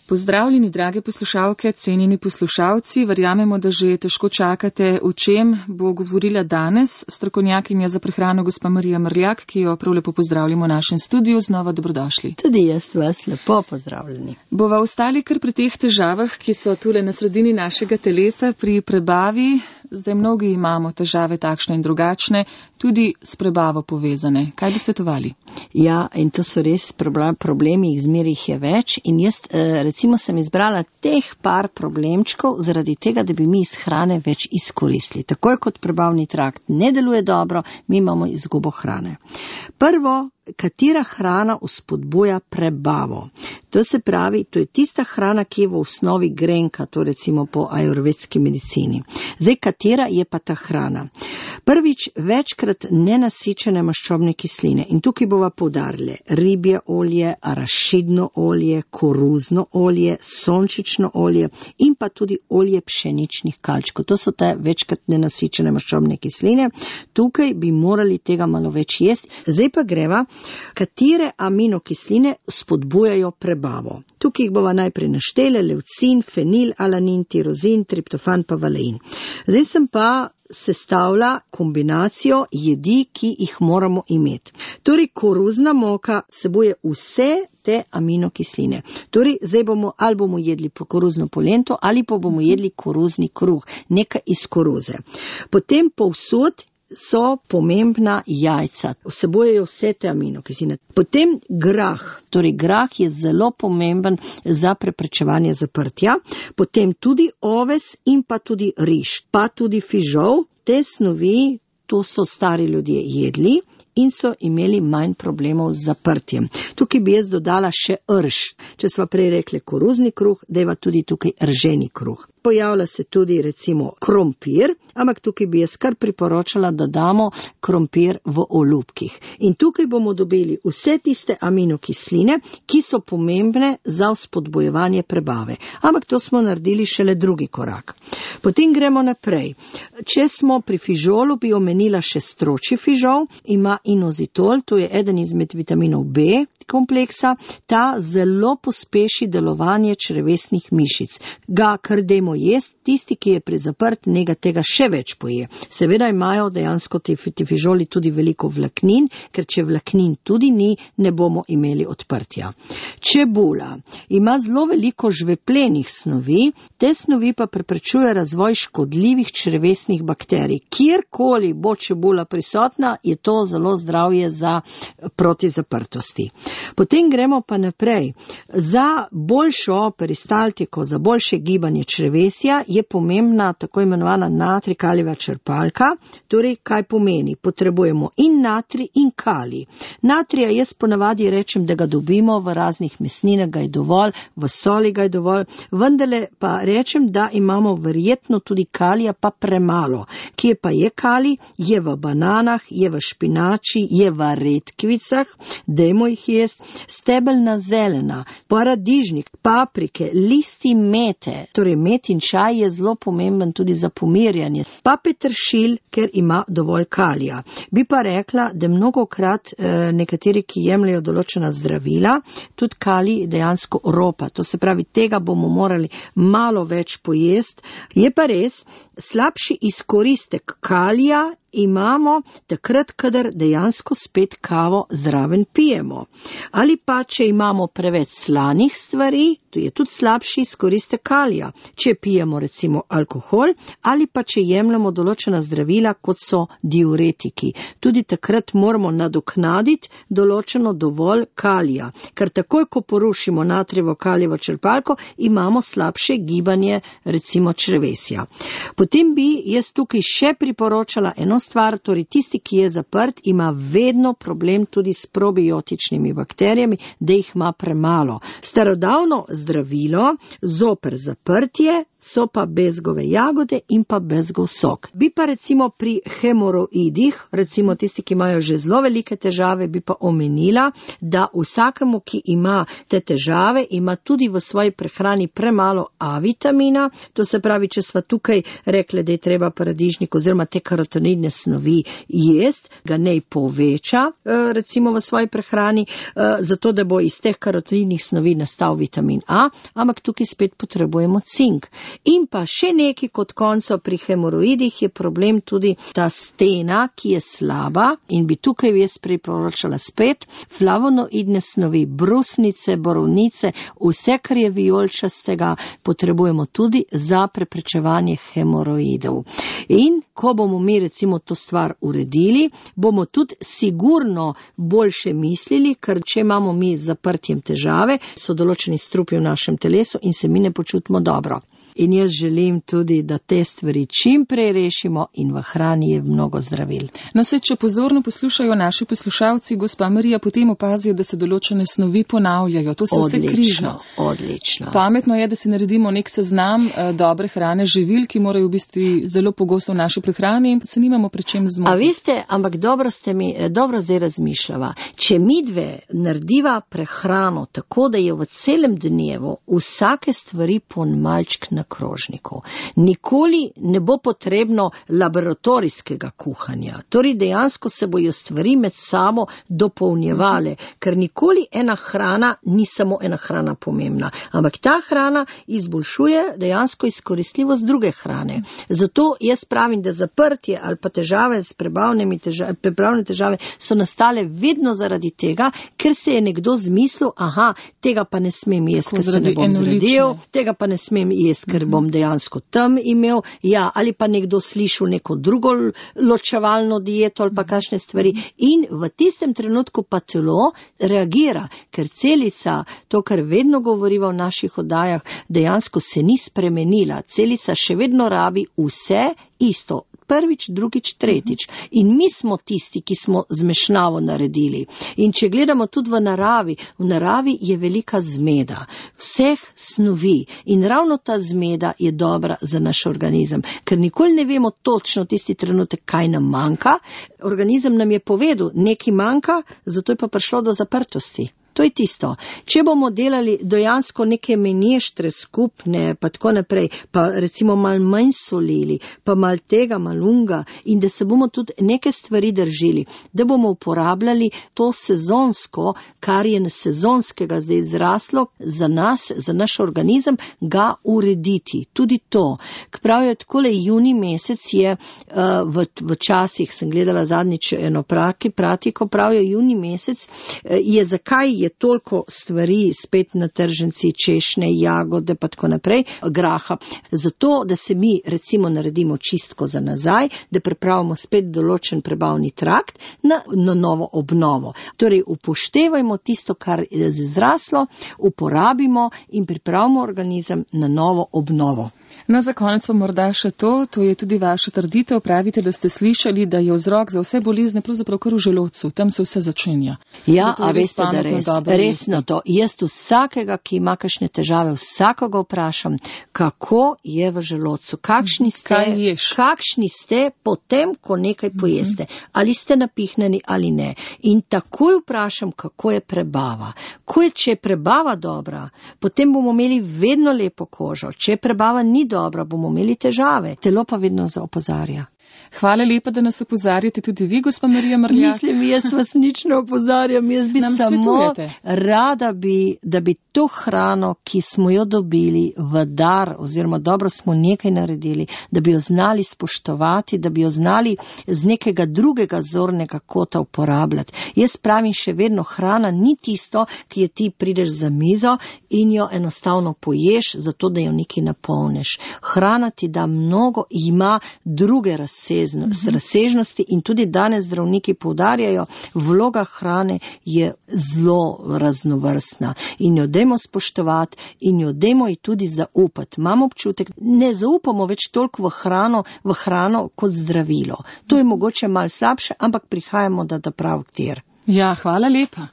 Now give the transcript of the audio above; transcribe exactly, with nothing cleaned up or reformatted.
Pozdravljeni, drage poslušalke, cenjeni poslušalci. Verjamemo, da že težko čakate, o čem bo govorila danes strokovnjakinja za prehrano gospa Marija Mrljak, ki jo prav lepo pozdravljamo v našem studiu. Znova dobrodošli. Tudi jaz vas lepo pozdravljeni. Bova ostali kar pri teh težavah, ki so tule na sredini našega telesa, pri prebavi. Zdaj mnogi imamo težave takšne in drugačne, tudi s prebavo povezane. Kaj bi svetovali? Ja, in to so res problemi, jih zmeraj jih je več. In jaz recimo sem izbrala teh par problemčkov zaradi tega, da bi mi iz hrane več izkoristili. Takoj kot prebavni trakt ne deluje dobro, mi imamo izgubo hrane. Prvo, katera hrana vzpodbuja prebavo? To se pravi, to je tista hrana, ki je v osnovi grenka, to recimo po ajurvedski medicini. Zdaj, katera je pa ta hrana? Prvič, večkrat nenasičene maščobne kisline. In tukaj bova poudarili ribje olje, arašidno olje, koruzno olje, sončično olje in pa tudi olje pšeničnih kalčkov. To so te večkrat nenasičene maščobne kisline. Tukaj bi morali tega malo več jesti. Zdaj pa greva, katere aminokisline spodbujajo prebavo. Tukaj jih bova najprej naštele: leucin, fenil, alanin, tirozin, triptofan pa valein. Zdaj sem pa sestavlja kombinacijo jedi, ki jih moramo imeti. Torej, koruzna moka sebuje vse te aminokisline. Torej, zdaj bomo, ali bomo jedli po koruzno polento, ali pa bomo jedli koruzni kruh, nekaj iz koruze. Potem povsod so pomembna jajca, vsebujejo vse te aminokisline. Potem grah, torej grah je zelo pomemben za preprečevanje zaprtja. Potem tudi oves in pa tudi riž, pa tudi fižol. Te snovi, to so stari ljudje jedli in so imeli manj problemov z zaprtjem. Tukaj bi jaz dodala še rž. Če sva prej rekli koruzni kruh, deva tudi tukaj rženi kruh. Pojavlja se tudi recimo krompir, ampak tukaj bi jaz kar priporočala, da damo krompir v olupkih. In tukaj bomo dobili vse tiste aminokisline, ki so pomembne za vzpodbojevanje prebave. Ampak to smo naredili šele drugi korak. Potem gremo naprej. Če smo pri fižolu, bi omenila še stročji fižol, ima inozitol, to je eden izmed vitaminov B kompleksa, ta zelo pospeši delovanje črevesnih mišic. Ga kar dajmo jesti, tisti, ki je prezaprt, njega tega še več poje. Seveda imajo dejansko ti fižoli tudi veliko vlaknin, ker če vlaknin tudi ni, ne bomo imeli odprtja. Čebula ima zelo veliko žveplenih snovi, te snovi pa preprečuje razvoj škodljivih črevesnih bakterij. Kjerkoli bo čebula prisotna, je to zelo zdravje za proti zaprtosti. Potem gremo pa naprej. Za boljšo peristaltiko, za boljše gibanje črevesja je pomembna tako imenovana natrij kalijeva črpalka. Torej, kaj pomeni? Potrebujemo in natrij in kalij. Natrija jaz ponavadi rečem, da ga dobimo v raznih mesninah, ga je dovolj, v soli ga je dovolj, vendarle pa rečem, da imamo verjetno tudi kalija pa premalo. Kje pa je kalij? Je v bananah, je v špinači, je v redkvicah, dajmo jih jesti. Stebelna zelena, paradižnik, paprike, listi mete, torej met in čaj je zelo pomemben tudi za pomirjanje, pa peteršilj, ker ima dovolj kalija. Bi pa rekla, da mnogokrat eh, nekateri, ki jemljajo določena zdravila, tudi kalij dejansko ropa, to se pravi, tega bomo morali malo več pojesti. Je pa res, slabši izkoristek kalija imamo takrat, kadar dejansko spet kavo zraven pijemo. Ali pa, če imamo preveč slanih stvari, to je tudi slabši izkoristek kalija. Če pijemo recimo alkohol, ali pa če jemljamo določena zdravila, kot so diuretiki. Tudi takrat moramo nadoknaditi določeno dovolj kalija, ker takoj, ko porušimo natrijevo kalijevo črpalko, imamo slabše gibanje recimo črevesja. Potem bi jaz tukaj še priporočala eno stvar, torej tisti, ki je zaprt, ima vedno problem tudi s probiotičnimi bakterijami, da jih ima premalo. Starodavno zdravilo zoper zaprtje so pa bezgove jagode in pa bezgov sok. Bi pa recimo pri hemoroidih, recimo tisti, ki imajo že zelo velike težave, bi pa omenila, da vsakemu, ki ima te težave, ima tudi v svoji prehrani premalo A vitamina, to se pravi, če sva tukaj rekli, da je treba paradižnik oziroma te karotenoidne snovi jest, ga nej poveča, recimo v svoji prehrani, zato da bo iz teh karotinnih snovi nastal vitamin A, ampak tukaj spet potrebujemo cink. In pa še nekaj kot konco pri hemoroidih je problem tudi ta stena, ki je slaba in bi tukaj jaz priporočala spet flavonoidne snovi, brusnice, borovnice, vse, kar je vijolčastega, potrebujemo tudi za preprečevanje hemoroidov. In ko bomo mi recimo to stvar uredili, bomo tudi sigurno boljše mislili, ker če imamo mi z zaprtjem težave, so določeni strupi v našem telesu in se mi ne počutimo dobro. In jaz želim tudi, da te stvari čim prej rešimo in v hrani je mnogo zdravil. No, se, če pozorno poslušajo naši poslušalci, gospa Marija, potem opazijo, da se določene snovi ponavljajo. To se vse križa. Odlično. Pametno je, da si naredimo nek seznam eh, dobre hrane, živil, ki morajo biti zelo pogosto v naši prehrani in se nimamo pri čem zmotiti. A veste, ampak dobro ste mi, dobro zdaj razmišljava. Če mi dve narediva prehrano tako, da je v celem dnevu vsake stvari po malčk na krožniku. Nikoli ne bo potrebno laboratorijskega kuhanja. Torej dejansko se bojo stvari med sabo dopolnjevale, ker nikoli ena hrana ni samo ena hrana pomembna, ampak ta hrana izboljšuje dejansko izkoristljivost druge hrane. Zato jaz pravim, da zaprtje ali pa težave s prebavnimi težave, prebavne težave so nastale vedno zaradi tega, ker se je nekdo zmislil, aha, tega pa ne smem jesti, ker se ne bom zredil, tega pa ne smem jesti, ker bom dejansko tam imel, ja, ali pa nekdo slišal neko drugo ločevalno dieto ali pa kakšne stvari in v tistem trenutku pa telo reagira, ker celica, to, kar vedno govoriva v naših oddajah, dejansko se ni spremenila. Celica še vedno rabi vse isto. Prvič, drugič, tretjič. In mi smo tisti, ki smo zmešnjavo naredili. In če gledamo tudi v naravi, v naravi je velika zmeda vseh snovi in ravno ta zmeda je dobra za naš organizem, ker nikoli ne vemo točno tisti trenutek, kaj nam manjka. Organizem nam je povedal, nekaj manjka, zato je pa prišlo do zaprtosti. To je tisto. Če bomo delali dejansko neke menještre skupne, pa tako naprej, pa recimo mal manj solili, pa mal tega, mal unga in da se bomo tudi neke stvari držili, da bomo uporabljali to sezonsko, kar je sezonskega zdaj zraslo za nas, za naš organizem, ga urediti. Tudi to. Pravijo, takole juni mesec je, uh, v, v časih sem gledala zadnjič eno praki, pratiko, pravijo, juni mesec uh, je zakaj je je toliko stvari spet na tržnici, češnje, jagode pa tako naprej, graha. Zato, da se mi recimo naredimo čistko za nazaj, da pripravimo spet določen prebavni trakt na, na novo obnovo. Torej, upoštevajmo tisto, kar je zraslo, uporabimo in pripravimo organizem na novo obnovo. No, za konec pa morda še to, to je tudi vaša trditev, pravite, da ste slišali, da je vzrok za vse bolezne pravzaprav kar v želodcu, tam se vse začenja. Ja, a veste, da res, resno to. Jaz vsakega, ki ima kakšne težave, vsakoga vprašam, kako je v želodcu, kakšni ste, kakšni ste potem, ko nekaj pojeste, ali ste napihnjeni ali ne. In takoj vprašam, kako je prebava. Ko je, če je prebava dobra, potem bomo imeli vedno lepo kožo. Če prebava ni dobra, bomo imeli težave. Telo pa vedno zaopozarja. Hvala lepa, da nas opozarjate tudi vi, gospa Marija Mrljak. Mislim, jaz vas nič ne opozarjam, jaz bi Nam samo svetujete. rada bi, da bi to hrano, ki smo jo dobili v dar, oziroma dobro smo nekaj naredili, da bi jo znali spoštovati, da bi jo znali z nekega drugega zornega kota uporabljati. Jaz pravim še vedno, hrana ni tisto, ki je ti prideš za mizo in jo enostavno poješ, zato da jo nekaj napolneš. Hrana ti da mnogo, ima druge razsežnosti, mm-hmm. razsežnosti in tudi danes zdravniki poudarjajo, vloga hrane je zelo raznovrstna in jo dajmo spoštovati in jo dajmo ji tudi zaupati. Imamo občutek, ne zaupamo več toliko v hrano, v hrano kot zdravilo. To je mogoče malo slabše, ampak prihajamo da, da prav ktir. Ja, hvala lepa.